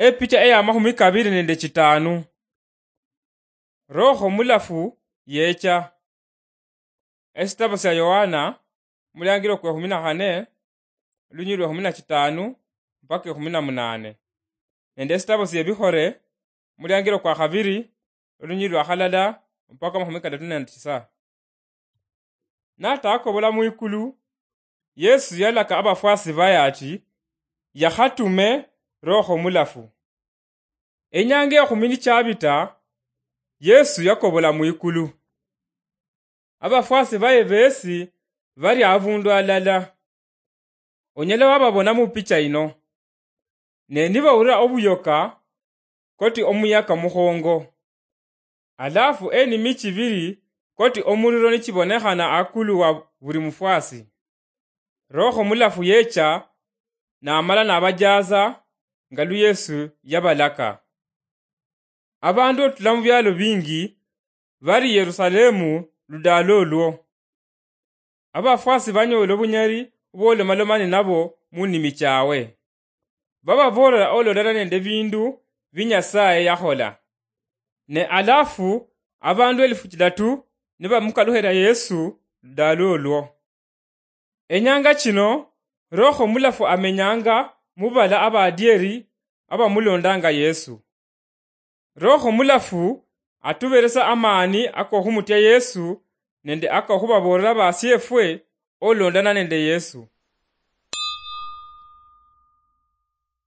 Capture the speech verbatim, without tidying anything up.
Epicha eya makhumi kabiri nende chitanu. Roho Mulafu yecha. Esitabo sia Yohana, muliangiro kwa ekhumi na khane, olunyiri lwa ekhumi na chitanu mpaka ekhumi na munane, nende esitabo sie Bikhore, muliangiro kwa khabiri, olunyiri lwa khalala mpaka makhumi kadatu nende tisa. Natakobola mwikulu, Yesu yalaka abafwasi baye ati, yakhatume Roho Mulafu. Enyanga ekhumi nichabita, Yesu yakobola mwikulu. Abafwasi baye besi bali abundu alala. Onyala wababona mupicha ino. Ne nibawulira obuyoka, koti omuyaka mukhongo. Alafu enimi chibiri koti omuliro nichibonekhana akulu wa buli mufwasi. Roho Mulafu yecha, namala nabajaza, nga lu Yesu yabalaka. Abandu otula mu bialo bingi bali Yerusalemu ludaalo olwo. Abafwasi banyola obunyali obwolomaloma ninabo munimi chawe. Bababoolera olondana nende bindu bi Nyasaye yakhola. Ne alafu abandu elifu chidatu nibamukalukhira Yesu ludaalo olwo. Enyanga chino, Roho Mulafu amenyanga mubala abadieri abamulondanga Yesu. Roho Mulafu atuberesa amani akokhumutya Yesu nende akokhubaboolera basiefwe olondana nende Yesu.